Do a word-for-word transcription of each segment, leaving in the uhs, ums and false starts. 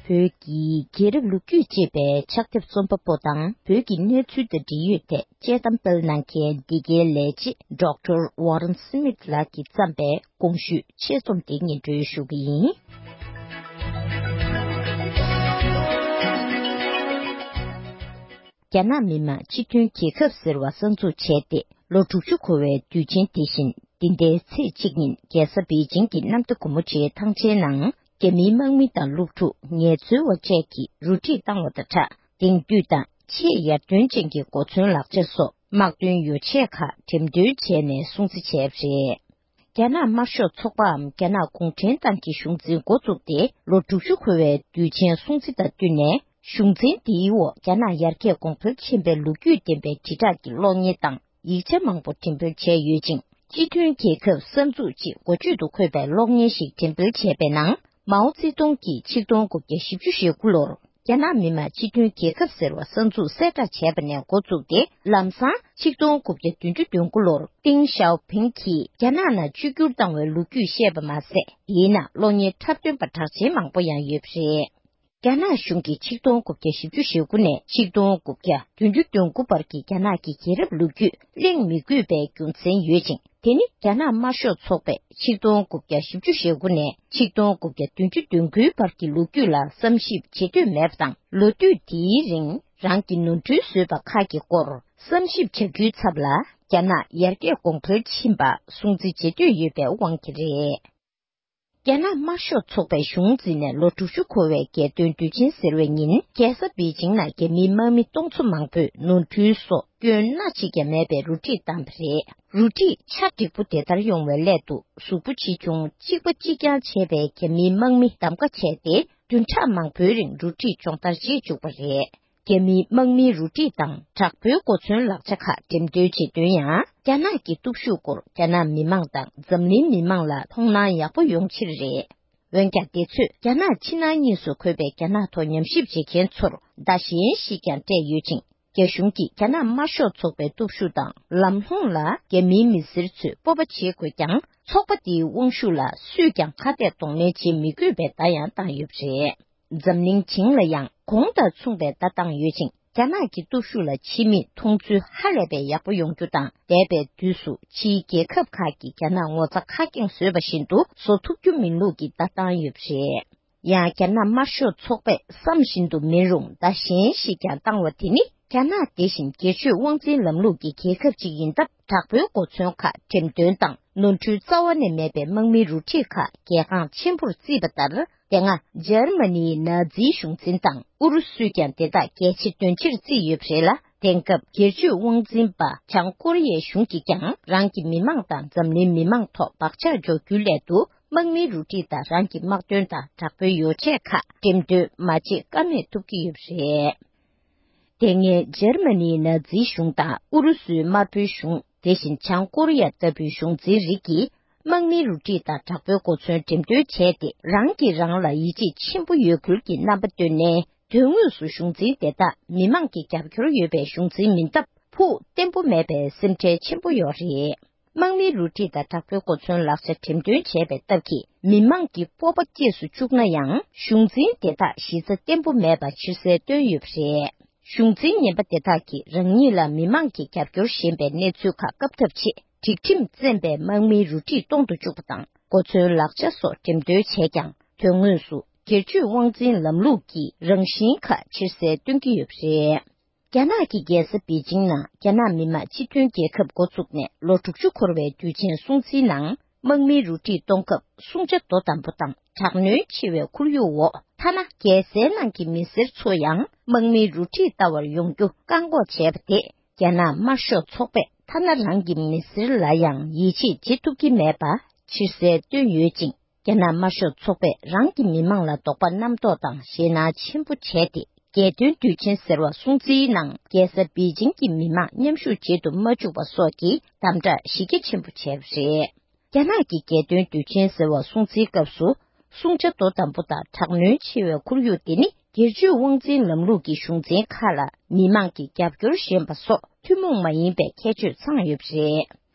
བོད་ཀྱི་རྒྱལ་རབས་ལོ་རྒྱུས་ཅེས་པའི་ཕྱག་དེབ་རྩོམ་པ་པོ་དང་། བོད་ཀྱི་གནས་ཚུལ་དང་འབྲེལ་ཡོད་ཐད་དཔྱད་གཏམ་སྤེལ་གནང་མཁན་འདི་གའི་ལས་བྱེད་ཌོག་ཊར་ཝོ་རན་སི་མིད་ལགས་ཀྱིས་བརྩམས་པའི་གོང་ཞུས་ཆེད་རྩོམ་དེ་སྙན་སྒྲོན་ཞུ་གི་ཡིན། རྒྱ་ནག་མི་དམངས་སྤྱི་མཐུན་རྒྱལ་ཁབ་ཟེར་བ་གསར་འཛུགས་བྱས་ཏེ་ལོ་དྲུག་ཅུ་འཁོར་བའི་དུས་ཆེན་དེ་བཞིན། འདི་ཟླའི་ཚེས་གཅིག་ཉིན་རྒྱལ་ས་པེ་ཅིང་གི་གནམ་བདེ་སྒོ་མོ་ཆེའི་ཐང་ཆེན་ནང་། རྒྱ་མིའི་དམག་མི་དང་སློབ་ཕྲུག་ངལ་རྩོལ་བ་བཅས་ཀྱིས་རུ་སྒྲིག་བཏང་བ་དང་སྦྲགས། དེང་དུས་དང་ཆེས་ཡར་ཐོན་ཅན་གྱི་གོ་མཚོན་ལག་ཆ་སོགས་དམག་དོན་ཡོ་ཆས་ཁག་འགྲེམས་སྟོན་བྱས་ནས་སྲུང་བརྩི་བྱས་པ་རེད། རྒྱ་ནག་དམར་ཤོག་ཚོགས་པའམ་རྒྱ་ནག་གུང་ཁྲན་ཏང་གི་གཞུང་འཛིན་འགོ་བཙུགས་ཏེ་ལོ་དྲུག་ཅུ་འཁོར་བའི་དུས་ཆེན་སྲུང་བརྩི་དང་བསྟུན་ནས། གཞུང་འཛིན་འདིའི་འོག་རྒྱ་ནག་ཡར་རྒྱས་གོང་འཕེལ་ཕྱིན་པའི་ལོ་རྒྱུས་ལྡན་པའི་དྲིལ་བསྒྲགས་ཀྱི་གློག་བརྙན་དང་ཡིག་ཆ་མང་པོ་འགྲེམས་སྤེལ་བྱས་ཡོད་ཅིང་། སྤྱི་མཐུན་རྒྱལ་ཁབ་གསར་འཛུགས་ཅེས་འགོ་བརྗོད་དུ་འཁོད་པའི་གློག་བརྙན་ཞིག་འགྲེམས་སྤེལ་བྱས་པའི་ནང་། མའོ་ཙེ་ཏུང་གིས་ཆིག་སྟོང་དགུ་བརྒྱ་བཞི་བཅུ་ཞེ་དགུ་ལོར་རྒྱ་ནག་མི་དམངས་སྤྱི་མཐུན་རྒྱལ་ཁབ་ཟེར་བ་གསར་འཛུགས་གསལ་བསྒྲགས་བྱས་པ་ནས་འགོ་བཙུགས་ཏེ། ལམ་སང་ཆིག་སྟོང་དགུ་བརྒྱ་བདུན་ཅུ་དོན་དགུ་ལོར་ཏེང་ཞའོ་ཕིང་གིས་རྒྱ་ནག་ནང་བཅོས་བསྒྱུར་བཏང་བའི་ལོ་རྒྱུས་བཤད་པ་མ་ཟད། དེའི་ནང་གློག་བརྙན་འཁྲབ་སྟོན་པ་གྲགས་ཅན་མང་པོ་ཡང་ཡོད་པ་རེད། རྒྱ་ནག་གཞུང་གིས་ཆིག་སྟོང་དགུ་བརྒྱ་བཞི་བཅུ་ཞེ་དགུ་ནས་ཆིག་སྟོང་དགུ་བརྒྱ་བདུན་ཅུ་དོན་དགུ་བར་གྱི་རྒྱ་ནག་གི་རྒྱལ་རབས་ལོ་རྒྱུས་གླེང་མི་དགོས་པའི་རྒྱུ་མཚན་ཡོད་ཅིང་། དེ་ནི་རྒྱ་ནག་དམར་ཤོག་ཚོགས་པས་ཆིག་སྟོང་དགུ་བརྒྱ་བཞི་བཅུ་ཞེ་དགུ་ནས་ཆིག་སྟོང་དགུ་བརྒྱ་བདུན་ཅུ་དོན་དགུའི་བར་གྱི་ལོ་རྒྱུས་ལ་བསམ་ཞིབ་བྱེད་འདོད་མེད་པ་དང་། ལོ་དུས་དེའི་རིང་རང་གི་ནོར་འཁྲུལ་བཟོས་པ་ཁག་གི་སྐོར་བསམ་ཞིབ་བྱ་རྒྱུའི་ཚབ་ལ། རྒྱ་ནག་ཡར་རྒྱས་གོང་འཕེལ་ཕྱིན་པ་སྲུང་བརྩི་བྱེད་འདོད་ཡོད་པའི་དབང་གིས་རེད། རྒྱ་ནག་དམར་ཤོག་ཚོགས་པའི་གཞུང་འཛིན་ནས་ལོ་དྲུག་ཅུ་འཁོར་བའི་རྒྱལ་སྟོན་དུས་ཆེན་ཟེར་བའི་ཉིན། རྒྱལ་ས་པེ་ཅིང་ནང་རྒྱ་མིའི་དམག་མི་སྟོང་ཚོ་མང་པོས་ནོར་འཁྲུལ་སོགས་སྐྱོན་སྣ་གཅིག་ཀྱང་མེད་པའི་རུ་སྒྲིག་བཏང་བ་རེད། རུ་སྒྲིག་ཆ་འགྲིག་པོ་དེ་ལྟར་ཡོང་བའི་སླད་དུ། གཟུགས་པོ་ཆེ་ཆུང་གཅིག་པ་གཅིག་རྐྱང་བྱས་པའི་རྒྱ་མིའི་དམག་མི་གདམ་ཀ་བྱས་ཏེ། བདུན་ཕྲག་མང་པོའི་རིང་རུ་སྒྲིག་སྦྱོང་བརྡར་བྱེད་བཅུག་པ་རེད། རྒྱ་མིའི་དམག་མིའི་རུ་སྒྲིག་དང་དྲག་པོའི་གོ་མཚོན་ལག་ཆ་ཁག་འགྲེམས་སྟོན་བྱེད་དོན་ཡང་། རྒྱ་ནག་གི་སྟོབས་ཤུགས་སྐོར་རྒྱ་ནག་མི་མང་དང་འཛམ་གླིང་མི་མང་ལ་མཐོང་སྣང་ཡག་པོ་ཡོང་ཕྱིར་རེད། འོན་ཀྱང་། དེ་ཚོས་རྒྱ་ནག་ཕྱི་ནང་གཉིས་སུ་འཁོད་པའི་རྒྱ་ནག་ཐོག་ཉམས་ཞིབ་བྱེད་མཁན་ཚོར་བརྡ་གཞན་ཞིག་ཀྱང་སྤྲད་ཡོད་ཅིང་། རྒྱ་གཞུང་གིས་རྒྱ་ནག་དམར་ཤོག་ཚོགས་པའི་སྟོབས་ཤུགས་དང་ལམ་ལྷོང་ལ་རྒྱ་མིའི་མི་སེར་ཚོས་སྤོབས་པ་བྱེད་དགོས་ཀྱང་། ཚོགས་པ་དེའི་དབང་ཤུགས་ལ་སུས་ཀྱང་ཁ་གཏད་གདོང་ལེན་བྱེད་མི་དགོས་པའི་བརྡ་ཡང་བཏང་ཡོད་པ་རེད། འཛམ་གླིང་བྱིངས་ལ་ཡང་གོང་དང་མཚུངས་པའི་བརྡ་བཏང་ཡོད་ཅིང་། རྒྱ་ནག་གི་སྟོབས་ཤུགས་ལ་ཕྱི་མིས་མཐོང་ཚུལ་ཧ་ལས་པའི་ཡག་པོ་ཡོང་རྒྱུ་དང་། འདས་པའི་དུས་སུ་ཕྱིའི་རྒྱལ་ཁབ་ཁག་གིས་རྒྱ་ནག་ངོ་ཚ་ཁ་སྐྱེངས་བཟོས་པ་བཞིན་དུ་བཟོ་ཐུབ་རྒྱུ་མིན་ལུགས་ཀྱི་བརྡ་བཏང་ཡོད་པ་རེད། ཡང་། རྒྱ་ནག་དམར་ཤོག་ཚོགས་པས་བསམ་བཞིན་དུ་མིན་རུང་བརྡ་གཞན་ཞིག་ཀྱང་བཏང་བ་དེ་ནི། རྒྱ་ནག་དེ་བཞིན་སྒེར་གཅོད་དབང་འཛིན་ལམ་ལུགས་ཀྱི་རྒྱལ་ཁབ་ཅིག་ཡིན་སྟབས། དྲག་པོའི་གོ་མཚོན་ཁག་འགྲེམས་སྟོན་དང་། ནོར་འཁྲུལ་རྩ་བ་ནས་མེད་པའི་དམག་མིའི་རུ་ཁྲིད་ཁག་གལ་འགངས་ཆེན་པོར་བརྩིས་པ་ལྟར། དེ་སྔ་འཇར་མ་ནིའི་ནཱ་ཛིའི་གཞུང་འཛིན་དང་ཨུ་རུ་སུས་ཀྱང་དེ་དག་གལ་ཆེ་འདོན་ཕྱིར་བརྩིས་ཡོད་པ་རེད་ལ། དེང་སྐབས་སྒེར་གཅོད་དབང་འཛིན་པ་བྱང་ཀོ་རི་ཡའི་གཞུང་གིས་ཀྱང་རང་གི་མི་མང་དང་འཛམ་གླིང་མི་མང་ཐོག་བག་ཆགས་འཇོག་རྒྱུའི་སླད་དུ། དམག་མིའི་རུ་ཁྲིད་དང་རང་གི་དམག་དོན་དང་དྲག་པོའི་ཡོ་ཆས་ཁག་འགྲེམས་སྟོན་མ་བྱེད་ཀ་མེད་ཐུབ་ཀྱི་ཡོད་པ་རེད། དེ་སྔའི་འཇར་མ་ནིའི་ནཱ་ཛིའི་གཞུང་དང་ཨུ་རུ་སུའི་དམར་པོའི་གཞུང་། དེ་བཞིན་བྱང་ཀོ་རི་ཡ་ལྟ་བུའི་གཞུང་འཛིན་རིགས་ཀྱིས། དམག་མིའི་རུ་ཁྲིད་དང་དྲག་པོའི་གོ་མཚོན་འགྲེམས་སྟོན་བྱས་ཏེ། རང་གིས་རང་ལ་ཡིད་ཆེས་ཆེན་པོ་ཡོད་ཁུལ་གྱི་རྣམ་པ་སྟོན་ནས། དོན་དངོས་སུ་གཞུང་འཛིན་དེ་དག་མི་མང་གི་རྒྱབ་སྐྱོར་ཡོད་པའི་གཞུང་འཛིན་མིན་སྟབས། ཕུགས་བརྟན་པོ་མེད་པའི་སེམས་ཁྲལ་ཆེན་པོ་ཡོད་རེད། དམག་མིའི་རུ་ཁྲིད་དང་དྲག་པོའི་གོ་མཚོན་ལག་ཆ་འགྲེམས་སྟོན་བྱས་པའི་སྟབས་ཀྱིས། མི་མང་གི་སྤོབས་པ་སྐྱེས་སུ་བཅུག་ན་ཡང་། གཞུང་འཛིན་དེ་དག་གཞི་རྩ་བརྟན་པོ་མེད་པ་ཕྱིར་གསལ་བཏོན་ཡོད་པ་རེད། གཞུང་འཛིན་ངན་པ་དེ་དག་གིས་རང་ཉིད་ལ་མི་མང་གིས་རྒྱབ་སྐྱོར་ཞན་པའི་གནས་ཚུལ་ཁག་བཀབ་ཐབས་ཆེད། སྒྲིག་ཁྲིམས་བཙན་པའི་དམག་མིའི་རུ་ཁྲིད་གཏོང་དུ་བཅུག་པ་དང་། གོ་མཚོན་ལག་ཆ་སོགས་འགྲེམས་སྟོན་བྱས་ཀྱང་། དོན་དངོས་སུ་སྒེར་གཅོད་དབང་འཛིན་ལམ་ལུགས་ཀྱི་རང་བཞིན་ཁག་ཕྱིར་གསལ་སྟོན་གྱི་ཡོད་པ་རེད། རྒྱ་ནག་གི་རྒྱལ་ས་པེ་ཅིང་ནང་རྒྱ་ནག་མི་དམངས་སྤྱི་མཐུན་རྒྱལ་ཁབ་འགོ་བཙུགས་ནས་ལོ་དྲུག་ཅུ་འཁོར་བའི་དུས་ཆེན་སྲུང་བརྩིའི་ནང་། དམག་མིའི་རུ་ཁྲིད་གཏོང་སྐབས་སྲུང་བྱ་དོ་དམ་པོ་དང་དྲག་གནོན་ཆེ་བའི་ཁོར་ཡུག་འོག་ཐ་ན་རྒྱལ་སའི་ནང་གི་མི་སེར་ཚོ་ཡང་དམག་མིའི་རུ་ཁྲིད་ལྟ་བར་ཡོང་རྒྱུ་བཀག་འགོག་བྱས་པ་དེས། རྒྱ་ནག་དམར་ཤོག་ཚོགས་པས་ཐ་ན་རང་གི་མི་སེར་ལ་ཡང་ཡིད་ཆེས་བྱེད་ཐུབ་ཀྱི་མེད་པ་ཕྱིར་གསལ་བཏོན་ཡོད་ཅིང་། རྒྱ་ནག་དམར་ཤོག་ཚོགས་པས་རང་གི་མི་མང་ལ་དོགས་པ་རྣམ་རྟོག་དང་ཞེད་སྣང་ཆེན་པོ་བྱས་ཏེ། རྒྱལ་སྟོན་དུས་ཆེན་ཟེར་བ་སྲུང་བརྩིའི་ནང་རྒྱལ་ས་པེ་ཅིང་གི་མི་མང་མཉམ་ཞུགས་བྱེད་དུ་མ་བཅུག་པ་སོགས་ཀྱི་དམ་དྲག་གཞི་རྒྱ་ཆེན་པོ་བྱས་པ་རེད། རྒྱ་ནག་གི་རྒྱལ་སྟོན་དུས་ཆེན་ཟེར་བ་སྲུང་བརྩིའི་སྐབས་སུ། སྲུང་བྱ་དོ་དམ་པོ་དང་དྲག་གནོན་ཆེ་བའི་ཁོར་ཡུག་དེ་ནི། སྒེར་གཅོད་དབང་འཛིན་ལམ་ལུགས་ཀྱི་གཞུང་འཛིན་ཁག་ལ་མི་མང་གི་རྒྱབ་སྐྱོར་ཞན་པ་སོགས་ཐུན་མོང་མ་ཡིན་པའི་ཁྱད་ཆོས་ཚང་ཡོད་པ་རེད།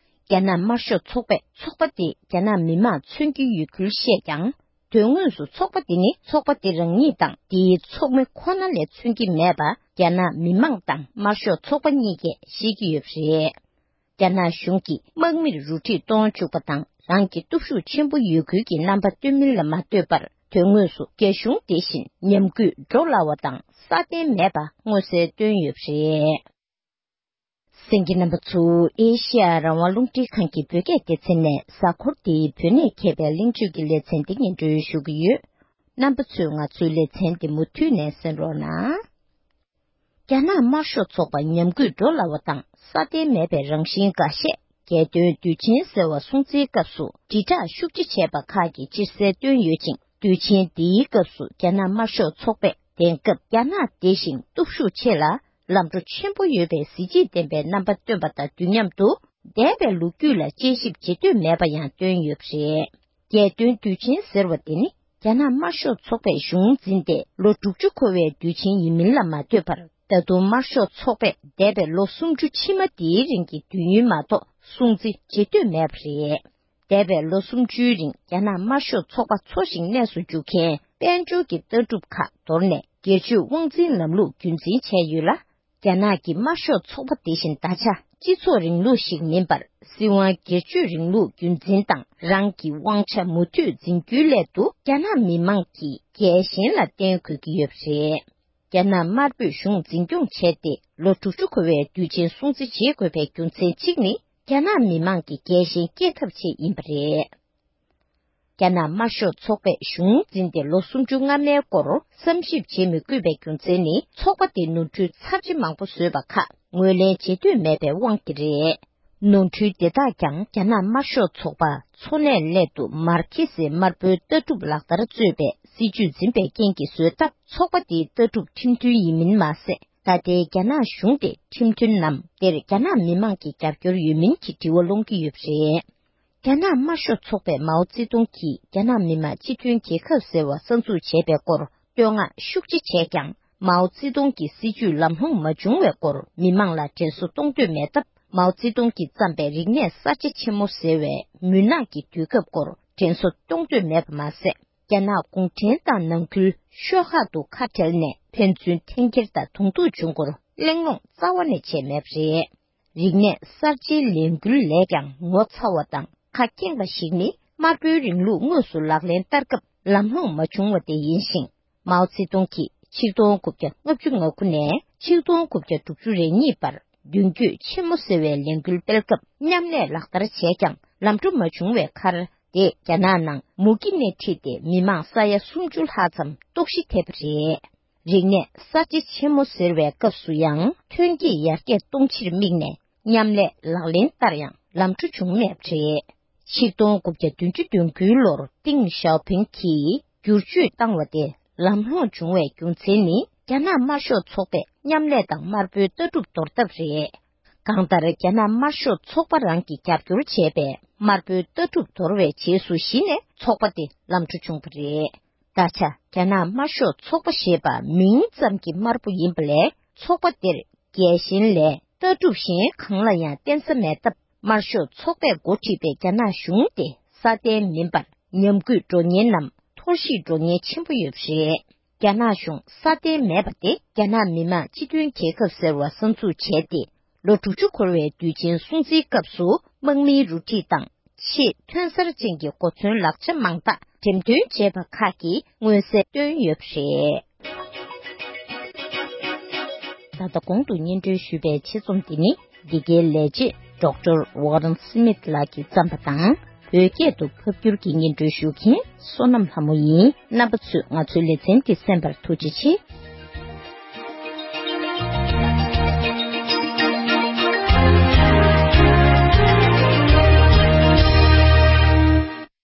རྒྱ་ནག་དམར་ཤོག་ཚོགས་པས་ཚོགས་པ་དེ་རྒྱ་ནག་མི་དམངས་མཚོན་གྱི་ཡོད་ཁུལ་བཤད་ཀྱང་། དོན་དངོས་སུ་ཚོགས་པ་འདི་ནི་ཚོགས་པ་འདི་རང་ཉིད་དང་དེའི་ཚོགས་མི་ཁོ་ན་ལས་མཚོན་གྱི་མེད་པ། རྒྱ་ནག་མི་མང་དང་དམར་ཤོག་ཚོགས་པ་གཉིས་ཀས་ཤེས་ཀྱི་ཡོད་པ་རེད། རྒྱ་ནག་གཞུང་གིས་དམག་མིར་རུ་ཁྲིད་གཏོང་བཅུག་པ་དང་། རང་གི་སྟོབས་ཤུགས་ཆེན་པོ་ཡོད་ཁུལ་གྱི་རྣམ་པ་སྟོན་མིན་ལ་མ་ལྟོས་པར། དོན་དངོས་སུ་རྒྱ་གཞུང་དེ་བཞིན་ཉམས་རྒུད་འགྲོ་སླ་བ་དང་སྲ་བརྟན་མེད་པ་མངོན་གསལ་སྟོན་ཡོད་པ་རེད། གསན་མཁན་རྣམ་པ་ཚོ། ཨེ་ཤེ་ཡ་རང་དབང་རླུང་འཕྲིན་ཁང་གི་བོད་སྐད་སྡེ་ཚན་ནས་གཟའ་འཁོར་འདིའི་བོད་གནས་མཁས་པའི་གླེང་བརྗོད་ཀྱི་ལེ་ཚན་འདི་སྙན་སྒྲོན་ཞུ་གི་ཡོད། རྣམ་པ་ཚོས་ང་ཚོའི་ལེ་ཚན་འདི་མུ་མཐུད་ནས་གསན་རོགས་གནང་། རྒྱ་ནག་དམར་ཤོག་ཚོགས་པ་ཉམས་རྒུད་འགྲོ་སླ་བ་དང་སྲ་བརྟན་མེད་པའི་རང་བཞིན་འགའ་ཤས། རྒྱལ་དོན་དུས་ཆེན་ཟེར་བ་སྲུང་བརྩིའི་སྐབས་སུ་དྲིལ་བསྒྲགས་ཤུགས་ཆེ་བྱས་པ་ཁག་གིས་ཕྱིར་གསལ་བཏོན་ཡོད་ཅིང་། དུས་ཆེན་འདིའི་སྐབས་སུ་རྒྱ་ནག་དམར་ཤོག་ཚོགས་པས་དེང་སྐབས་རྒྱ་ནག་དེ་བཞིན་སྟོབས་ཤུགས་ཆེ་ལ་ལམ་འགྲོ་ཆེན་པོ་ཡོད་པའི་གཟི་བརྗིད་ལྡན་པའི་རྣམ་པ་སྟོན་པ་དང་དུས་མཉམ་དུ། འདས་པའི་ལོ་རྒྱུས་ལ་དཔྱད་ཞིབ་བྱེད་འདོད་མེད་པ་ཡང་སྟོན་ཡོད་པ་རེད། རྒྱལ་སྟོན་དུས་ཆེན་ཟེར་བ་དེ་ནི་རྒྱ་ནག་དམར་ཤོག་ཚོགས་པས་གཞུང་འཛིན་ཏེ་ལོ་དྲུག་ཅུ་འཁོར་བའི་དུས་ཆེན་ཡིན་མིན་ལ་མ་ལྟོས་པར། ད་དུང་དམར་ཤོག་ཚོགས་པས་འདས་པའི་ལོ་སུམ་ཅུ་ཕྱི་མ་དེའི་རིང་གི་དུས་ཡུན་མ་གཏོགས་སྲུང་བརྩི་བྱེད་འདོད་མེད་པ་རེད། འདས་པའི་ལོ་སུམ་ཅུའི་རིང་རྒྱ་ནག་དམར་ཤོག་ཚོགས་པ་འཚོ་ཞིང་གནས་སུ་འཇུག་མཁན་དཔལ་འབྱོར་གྱི་ལྟ་གྲུབ་ཁག་དོར་ནས། སྒེར་གཅོད་དབང་འཛིན་ལམ་ལུགས་རྒྱུན་འཛིན་བྱས་ཡོད་ལ། རྒྱ་ནག་གི་དམར་ཤོག་ཚོགས་པ་དེ་བཞིན་ད་ཆ་སྤྱི་ཚོགས་རིང་ལུགས་ཤིག་མིན་པར། སྲིད་དབང་སྒེར་གཅོད་རིང་ལུགས་རྒྱུན་འཛིན་དང་། རང་གི་དབང་ཆ་མུ་མཐུད་འཛིན་རྒྱུའི་སླད་དུ། རྒྱ་ནག་མི་མང་གིས་རྒྱལ་ཞེན་ལ་བརྟེན་དགོས་ཀྱི་ཡོད་པ་རེད། རྒྱ་ནག་དམར་པོས་གཞུང་འཛིན་སྐྱོང་བྱས་ཏེ། ལོ་དྲུག་ཅུ་འཁོར་བའི་དུས་ཆེན་སྲུང་བརྩི་བྱེད་དགོས་པའི་རྒྱུ་མཚན་གཅིག་ནི། རྒྱ་ནག་མི་མང་གི་རྒྱལ་ཞེན་སྐྱེ་ཐབས་ཆེད་ཡིན་པ་རེད། རྒྱ་ནག་དམར་ཤོག་ཚོགས་པས་གཞུང་འཛིན་ཏེ་ལོ་སུམ་ཅུ་སྔ་མའི་སྐོར་བསམ་ཞིབ་བྱེད་མི་དགོས་པའི་རྒྱུ་མཚན་ནི། ཚོགས་པ་དེ་ནོར་འཁྲུལ་ཚབས་ཆེ་མང་པོ་བཟོས་པ་ཁག་ངོས་ལེན་བྱེད་འདོད་མེད་པའི་དབང་གིས་རེད། ནོར་འཁྲུལ་དེ་དག་ཀྱང་རྒྱ་ནག་དམར་ཤོག་ཚོགས་པ་འཚོ་གནས་སླད་དུ་མར་ཁེ་སིའི་དམར་པོའི་ལྟ་གྲུབ་ལག་བསྟར་གཙོས་པའི་སྲིད་ཇུས་འཛིན་པའི་རྐྱེན་གྱིས་བཟོས་སྟབས། ཚོགས་པ་དེའི་ལྟ་གྲུབ་ཁྲིམས་མཐུན་ཡིན་མིན་མ་ཟད། ད་ལྟའི་རྒྱ་ནག་གཞུང་དེ་ཁྲིམས་མཐུན་ནམ། དེར་རྒྱ་ནག་མི་མང་གི་རྒྱབ་སྐྱོར་ཡོད་མིན་གྱི་དྲི་བ་སློང་གི་ཡོད་པ་རེད། རྒྱ་ནག་དམར་ཤོག་ཚོགས་པས་མའོ་ཙེ་ཏུང་གིས་རྒྱ་ནག་མི་དམངས་སྤྱི་མཐུན་རྒྱལ་ཁབ་ཟེར་བ་གསར་འཛུགས་བྱས་པའི་སྐོར་བསྟོད་བསྔགས་ཤུགས་ཆེ་བྱས་ཀྱང་། མའོ་ཙེ་ཏུང་གི་སྲིད་ཇུས་ལམ་ལྷོང་མ་བྱུང་བའི་སྐོར་མི་མང་ལ་དྲན་གསོ་གཏོང་འདོད་མེད་སྟབས། མའོ་ཙེ་ཏུང་གིས་བརྩམས་པའི་རིག་གནས་གསར་བརྗེ་ཆེན་མོ་ཟེར་བའི་མུན་ནག་གི་དུས་སྐབས་སྐོར་དྲན་གསོ་གཏོང་འདོད་མེད་པ་མ་ཟད། རྒྱ་ནག་གུང་ཁྲན་ཏང་ནང་ཁུལ་ཤོག་ཁག་ཏུ་ཁ་བྲལ་ནས་ཕན་ཚུན་འཐེན་འཁྱེར་དང་གདོང་ཐུག་བྱུང་སྐོར་གླེང་སློང་རྩ་བ་ནས་བྱས་མེད་པ་རེད། རིག་གནས་གསར་བརྗེའི་ལས་འགུལ་ལས་ཀྱང་ངོ་ཚ་བ་དང་ཁ་སྐྱེངས་པ་ཞིག་ནི། དམར་པོའི་རིང་ལུགས་དངོས་སུ་ལག་ལེན་བསྟར་སྐབས་ལམ་ལྷོང་མ་བྱུང་བ་དེ་ཡིན་ཞིང་། མའོ་ཙེ་ཏུང་གིས་ཆིག་སྟོང་དགུ་བརྒྱ་ལྔ་བཅུ་ང་དགུ་ནས་ཆིག་སྟོང་དགུ་བརྒྱ་དྲུག་ཅུ་རེ་གཉིས་བར་མདུན་སྐྱོད་ཆེན་མོ་ཟེར་བའི་ལས་འགུལ་སྤེལ་སྐབས་མཉམ་ལས་ལག་བསྟར་བྱས་ཀྱང་ལམ་འགྲོ་མ་བྱུང་བའི་ཁར། དེས་རྒྱ་ནག་ནང་མུ་གེ་སྣེ་ཁྲིད་དེ་མི་མང་ས་ཡ་སུམ་ཅུ་ལྷག་ཙམ་ལྟོགས་ཤི་ཐེབས་པ་རེད། རིག་གནས་གསར་བརྗེ་ཆེན་མོ་ཟེར་བའི་སྐབས་སུ་ཡང་ཐོན་སྐྱེད་ཡར་རྒྱས་གཏོང་ཕྱིར་དམིགས་ནས་མཉམ་ལས་ལག་ལེན་བསྟར་ཡང་ལམ་འགྲོ་བྱུང་མེད་པ་རེད། ཆིག་སྟོང་དགུ་བརྒྱ་བདུན་ཅུ་དོན་དགུའི་ལོར་ཏིང་ཞའོ་ཕིང་གིས་བསྒྱུར་བཅོས་བཏང་བ་དེ་ལམ་ལྷོང་བྱུང་བའི་རྒྱུ་མཚན་ནི། རྒྱ་ནག་དམར་ཤོག་ཚོགས་པས་མཉམ་ལས་དང་དམར་པོའི་ལྟ་གྲུབ་དོར་ཐབས་རེད། གང་ལྟར་རྒྱ་ནག་དམར་ཤོག་ཚོགས་པ་རང་གིས་རྒྱབ་སྐྱོར་བྱས་པའི་དམར་པོའི་ལྟ་གྲུབ་དོར་བའི་རྗེས་སུ་གཞི་ནས་ཚོགས་པ་དེ་ལམ་འགྲོ་བྱུང་བ་རེད། ད་ཆ་རྒྱ་ནག་དམར་ཤོག་ཚོགས་པ་ཞེས་པ་མིང་ཙམ་གྱིས་དམར་པོ་ཡིན་པ་ལས་ཚོགས་པ་དེར་རྒྱལ་ཞེན་ལས་ལྟ་གྲུབ་གཞན་གང་ལ་ཡང་བརྟེན་ས་མེད་སྟབས། དམར་ཤོག་ཚོགས་པས་འགོ་ཁྲིད་པའི་རྒྱ་ནག་གཞུང་དེ་སྲ་བརྟན་མིན་པར་ཉམས་རྒུད་འགྲོ་ཉེན་ནམ་འཐོར་ཞིག་འགྲོ་ཉེན་ཆེན་པོ་ཡོད་པ་རེད། རྒྱ་ནག་གཞུང་སྲ་བརྟན་མེད་པ་དེ་རྒྱ་ནག་མི་དམངས་སྤྱི་མཐུན་རྒྱལ་ཁབ་ཟེར་བ་གསར་འཛུགས་བྱས་ཏེ། ལོ་དྲུག་ཅུ་འཁོར་བའི་དུས་ཆེན་སྲུང་བརྩིའི་སྐབས་སུ་དམག་མིའི་རུ་ཁྲིད་དང་། ཆེས་ཐོན་གསར་ཅན་གྱི་གོ་མཚོན་ལག་ཆ་མང་དག་འགྲེམས་སྟོན་བྱས་པ་ཁག་གིས་མངོན་གསལ་བཏོན་ཡོད་པ་རེད། ད་ལྟ་གོང་དུ་སྙན་སྒྲོན་ཞུས་པའི་ཆེད་རྩོམ་འདི་ནི། འདི་གའི་ལས་བྱེད་ཌོག་ཊར་ཝོ་རན་སི་མིད་ལགས་ཀྱིས་བརྩམས་པ་དང་། བོད་སྐད་དུ་ཕབ་བསྒྱུར་གྱིས་སྙན་སྒྲོན་ཞུ་མཁན་བསོད་ནམས་ལྷ་མོ་ཡིན། རྣམ་པ་ཚོས་ང་ཚོའི་ལེ་ཚན་འདི་གསན་པར་ཐུགས་རྗེ་ཆེ།